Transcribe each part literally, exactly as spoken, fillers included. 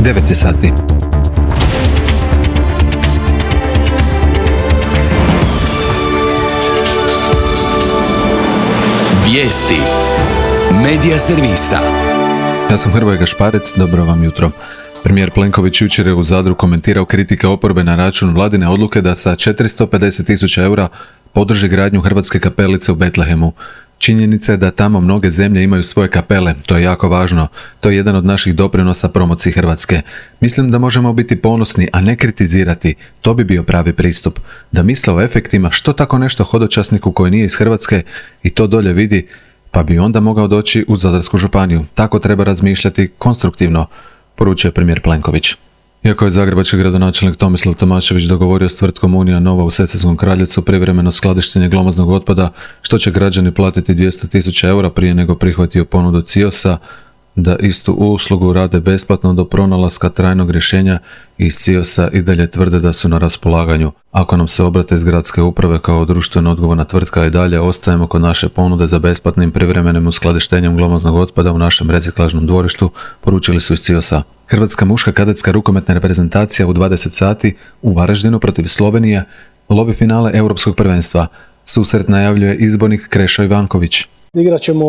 devet je sati. Vijesti Medija servisa. Ja sam Hrvoje Gašparec, dobro vam jutro. Premijer Plenković jučer je u Zadru komentirao kritike oporbe na račun vladine odluke da sa četiristo pedeset tisuća eura podrži gradnju Hrvatske kapelice u Betlehemu. Činjenica je da tamo mnoge zemlje imaju svoje kapele, to je jako važno. To je jedan od naših doprinosa promociji Hrvatske. Mislim da možemo biti ponosni, a ne kritizirati. To bi bio pravi pristup. Da misle o efektima, što tako nešto hodočasniku koji nije iz Hrvatske i to dolje vidi, pa bi onda mogao doći u Zadarsku županiju. Tako treba razmišljati konstruktivno, poručuje premijer Plenković. Iako je zagrebački gradonačelnik Tomislav Tomašević dogovorio s tvrtkom Unija Nova u Sesvetskom Kraljevcu privremeno skladištenje glomaznog otpada, što će građani platiti dvjesto tisuća eura prije nego prihvatio ponudu Ciosa da istu uslugu rade besplatno do pronalaska trajnog rješenja, i iz Ciosa i dalje tvrde da su na raspolaganju. Ako nam se obrate iz gradske uprave kao društveno odgovorna tvrtka, i dalje ostajemo kod naše ponude za besplatnim privremenim uskladištenjem glomaznog otpada u našem reciklažnom dvorištu, poručili su iz Ciosa. Hrvatska muška kadetska rukometna reprezentacija u dvadeset sati u Varaždinu protiv Slovenije, lobi finale Europskog prvenstva. Susret najavljuje izbornik Krešo Ivanković. Igrat ćemo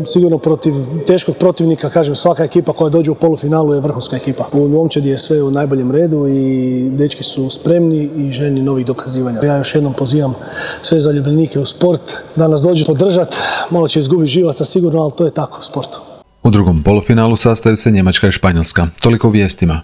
sigurno protiv teškog protivnika, kažem, svaka ekipa koja dođe u polufinalu je vrhunska ekipa. U momčadi je sve u najboljem redu i dečki su spremni i željni novih dokazivanja. Ja još jednom pozivam sve zaljubljenike u sport da nas dođu podržati, malo će izgubiti živaca sigurno, ali to je tako u sportu. U drugom polufinalu sastaju se Njemačka i Španjolska. Toliko u vijestima.